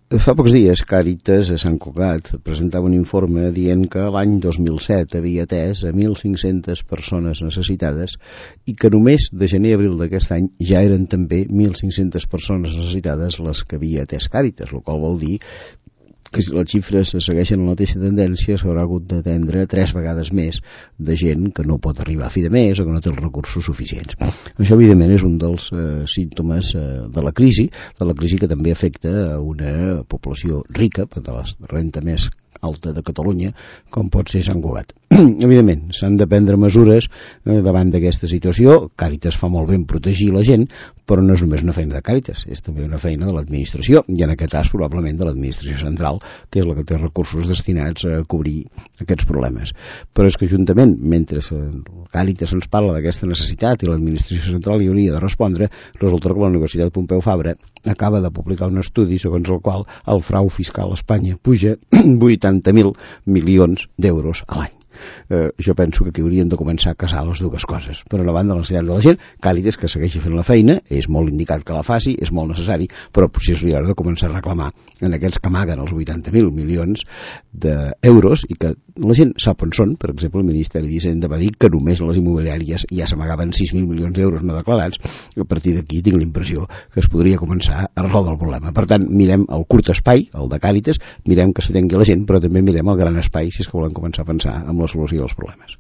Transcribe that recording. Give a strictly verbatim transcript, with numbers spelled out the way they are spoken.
Fa pocs dies, Càritas a Sant Cugat presentava un informe dient que l'any dos mil set havia atès a mil cinc-centes persones necessitades i que només de gener a abril d'aquest any ja eren també mil cinc-centes persones necessitades les que havia atès Càritas, el qual vol dir que si les xifres segueixen la mateixa tendència s'haurà hagut d'atendre tres vegades més de gent que no pot arribar a fi de mes o que no té els recursos suficients. Això, evidentment, és un dels eh, símptomes eh, de la crisi, de la crisi que també afecta a una població rica, de la renta més alta de Catalunya, com pot ser Sant Cugat. Evidentment, s'han de prendre mesures eh, davant d'aquesta situació. Càritas fa molt bé en protegir la gent, però no és només una feina de Càritas, és també una feina de l'administració, i en aquest cas probablement de l'administració central, que és la que té recursos destinats a cobrir aquests problemes. Però és que juntament, mentre Càritas ens parla d'aquesta necessitat i l'administració central hi hauria de respondre, resulta que la Universitat Pompeu Fabra acaba de publicar un estudi segons el qual el frau fiscal a Espanya puja vuitanta mil milions d'euros a l'any. Eh, jo penso que aquí hauríem de començar a casar les dues coses. Per una banda, la necessitat de la gent, Càritas que segueixi fent la feina, és molt indicat que la faci, és molt necessari, però potser és l'hora de començar a reclamar en aquells que amaguen els vuitanta mil milions d'euros i que la gent sap on són. Per exemple, el Ministeri d'Hisenda va dir que només a les immobiliàries ja s'amagaven sis mil milions d'euros no declarats. A partir d'aquí tinc la impressió que es podria començar a resoldre el problema. Per tant, mirem el curt espai, el de Càritas, mirem que s'atengui la gent, però també mirem el gran espai si és que volem començar a pensar amb la solució dels problemes.